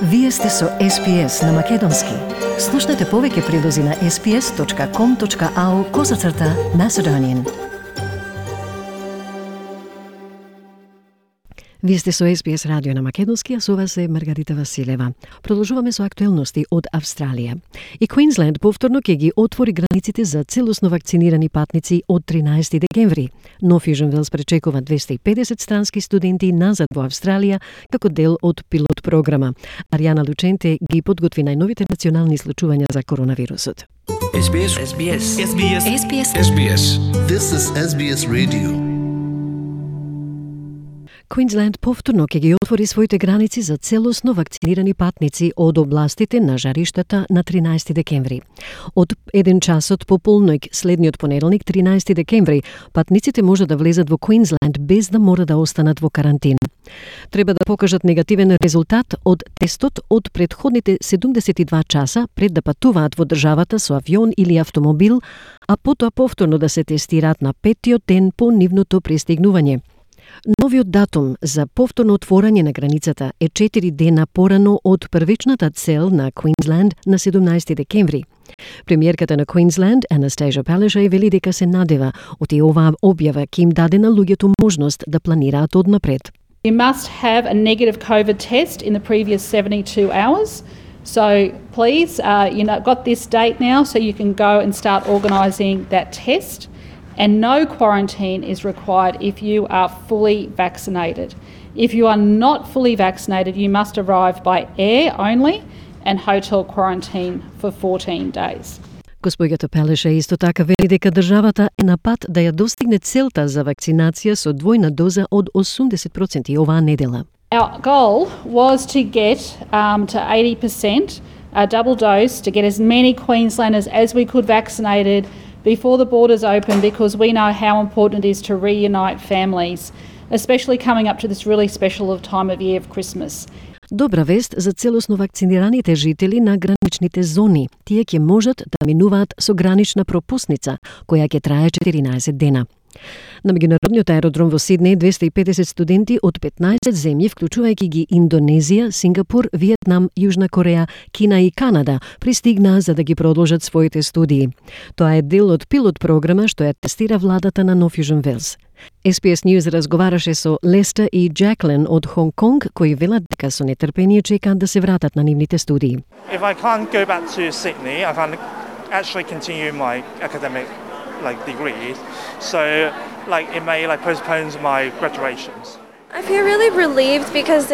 Вие сте со SPS на Македонски. Слушнете повеќе прилози на sps.com.au/Macedonian. Вие сте со SBS радио на Македонски, а со вас е Маргарита Василева. Продолжуваме со актуелности од Австралија. И Квинсленд повторно ќе ги отвори границите за целосно вакцинирани патници од 13 декември. Нов Южен Велс пречекува 250 странски студенти назад во Австралија како дел од пилот програма. Аријана Лученте ги подготви најновите национални случувања за коронавирусот. SBS. This is SBS Radio. Квинсленд повторно ќе ги отвори своите граници за целосно вакцинирани патници од областите на жариштата на 13 декември. Од 1 часот по полноќ следниот понеделник, 13 декември, патниците може да влезат во Квинсленд без да мора да останат во карантина. Треба да покажат негативен резултат од тестот од претходните 72 часа пред да патуваат во државата со авион или автомобил, а потоа повторно да се тестираат на 5-тиот ден по нивното пристигнување. Новиот датум за повторно отворање на границата е 4 дена порано од првичната цел на Квинсленд на 17 декември. Премиерката на Квинсленд, Anastasia Palaszczuk, вели дека се надева од оваа објава ќе им даде на луѓето можност да планираат однапред. You must have a negative COVID test in the previous 72 hours. So please, got this date now so you can go and start organising that test. And no quarantine is required if you are fully vaccinated. If you are not fully vaccinated, you must arrive by air only and hotel quarantine for 14 days. Госпоѓата Пелеше исто така вели дека државата е на пат да ја достигне целта за вакцинација со двојна доза од 80% оваа недела. Our goal was to get to 80% a double dose, to get as many Queenslanders as we could vaccinated before the borders open, because we know how important it is to reunite families, especially coming up to this really special time of year of Christmas. Добра вест за целосно вакцинираните жители на граничните зони. Тие ќе можат да минуваат со гранична пропусница, која ќе трае 14 дена. На меѓународниот аеродром во Сиднеј 250 студенти од 15 земји, вклучувајќи ги Индонезија, Сингапур, Виетнам, Јужна Кореја, Кина и Канада, пристигнаа за да ги продолжат своите студии. Тоа е дел од пилот програма што ја тестира владата на Нов Южен Велс. SBS News разговараше со Леста и Джаклин од Хонг Конг, кои велат дека со нетрпение чекаат да се вратат на нивните студии. If I can't go back to Sydney, I can't actually continue my academic degree, so it may postpone my graduations. I feel really relieved because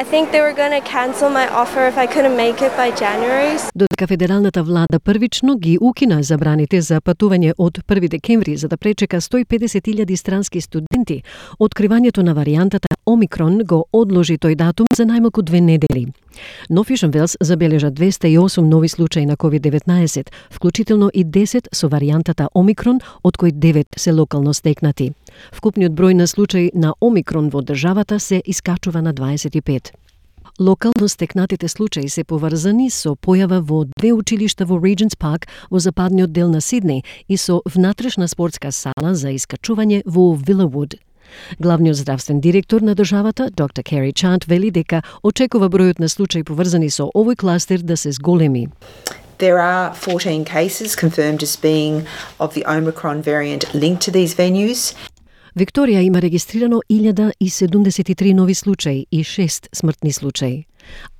I think they were going to cancel my offer if I couldn't make it by January. Додека федералната влада првично ги укина забраните за патување од 1 декември за да пречека 150.000 странски студенти, откривањето на варијантата Омикрон го одложи тој датум за најмалку 2 недели. Нов Южен Велс забележа 208 нови случаи на COVID-19, вклучително и 10 со варијантата Омикрон, од кои 9 се локално стекнати. Вкупниот број на случаи на Омикрон во државата се искачува на 25. Локално стекнатите случаи се поврзани со појава во 2 училишта во Regents Park во западниот дел на Сиднеј и со внатрешна спортска сала за искачување во Villawood. Главниот здравствен директор на државата, доктор Кери Чант, вели дека очекува бројот на случаи поврзани со овој кластер да се зголеми. There are 14 cases confirmed as being of the Omicron variant linked to these venues. Викторија има регистрирано 1073 нови случаи и 6 смртни случаи.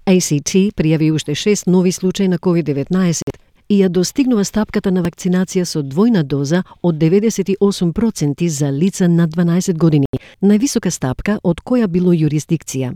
ACT пријави уште 6 нови случаи на COVID-19 и ја достигнува стапката на вакцинација со двојна доза од 98% за лица над 12 години, највисока стапка од која било юрисдикција.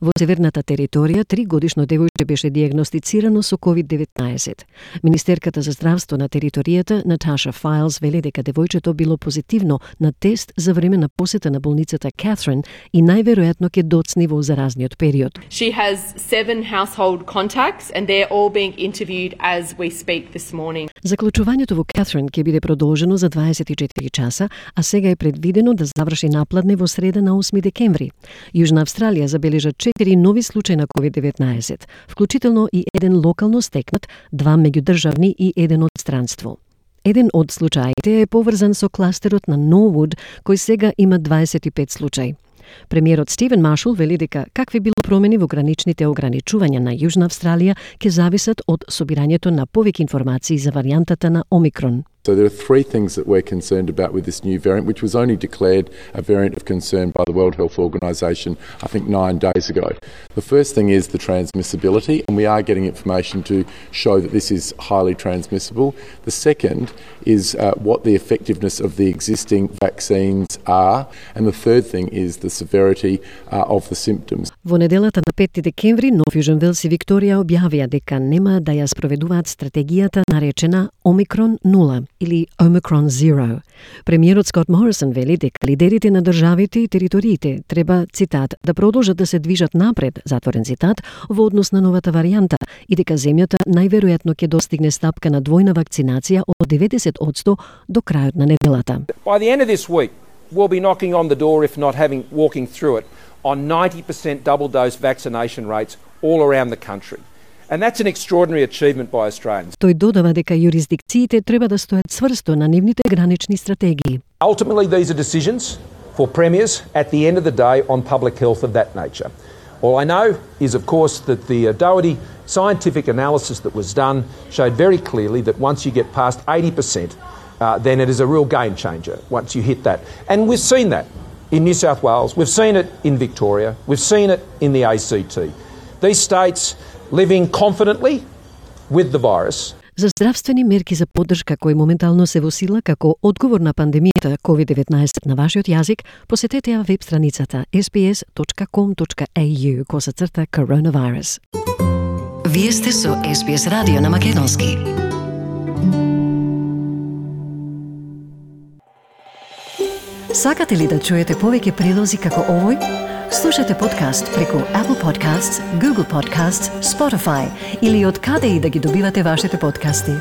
Во северната територија 3-годишно девојче беше диагностицирано со COVID-19. Министерката за здравство на територијата, Наташа Файлс, вели дека девојчето било позитивно на тест за време на посета на болницата Catherine и најверојатно ќе доцни во заразниот период. She has 7 household contacts and they're all being interviewed as we speak this morning. Заклучувањето во Catherine ќе биде продолжено за 24 часа, а сега е предвидено да заврши напладне во среда на 8 декември. Јужна Австралија забележа 4 нови случаи на COVID-19, вклучително и 1 локално стекнат, 2 меѓудржавни и 1 од странство. Еден од случаите е поврзан со кластерот на Norwood, кој сега има 25 случаи. Премиерот Стивен Маршал вели дека какви било промени во граничните ограничувања на Јужна Австралија ќе зависат од собирањето на повеќе информации за варијантата на Омикрон. So there are three things that we're concerned about with this new variant, which was only declared a variant of concern by the World Health Organization, I think 9 days ago. The first thing is the transmissibility, and we are getting information to show that this is highly transmissible. The second is what the effectiveness of the existing vaccines are, and the third thing is the severity of the symptoms. Во неделата на 5 декември, Нов Јужен Велс и Викторија објавија дека нема да ја спроведуваат стратегијата наречена Омикрон 0 или Omicron Zero. Премиерот Скот Морисон вели дека лидерите на државите и териториите треба, цитат, да продолжат да се движат напред, затворен цитат, во однос на новата варијанта и дека земјата најверојатно ќе достигне стапка на двојна вакцинација од 90% до крајот на неделата. By the end of this week, we'll be knocking on the door, if not walking through it, on 90% double dose vaccination rates all around the country. And that's an extraordinary achievement by Australians. Тој додава дека юрисдикциите треба да стојат цврсто на нивните гранични стратегии. Ultimately, these are decisions for premiers at the end of the day on public health of that nature. All I know is, of course, that the Doherty scientific analysis that was done showed very clearly that once you get past 80%, then it is a real game changer once you hit that. And we've seen that in New South Wales, we've seen it in Victoria, we've seen it in the ACT. These states living confidently with the virus. За здравствени мерки за поддршка кои моментално се во сила како одговор на пандемијата COVID-19 на вашиот јазик, посетете ја веб страницата sbs.com.au/coronavirus. Вие сте со SBS радио на македонски. Сакате ли да чуете повеќе прилози како овој? Слушате подкаст преку Apple Podcasts, Google Podcasts, Spotify или од каде и да ги добивате вашите подкасти.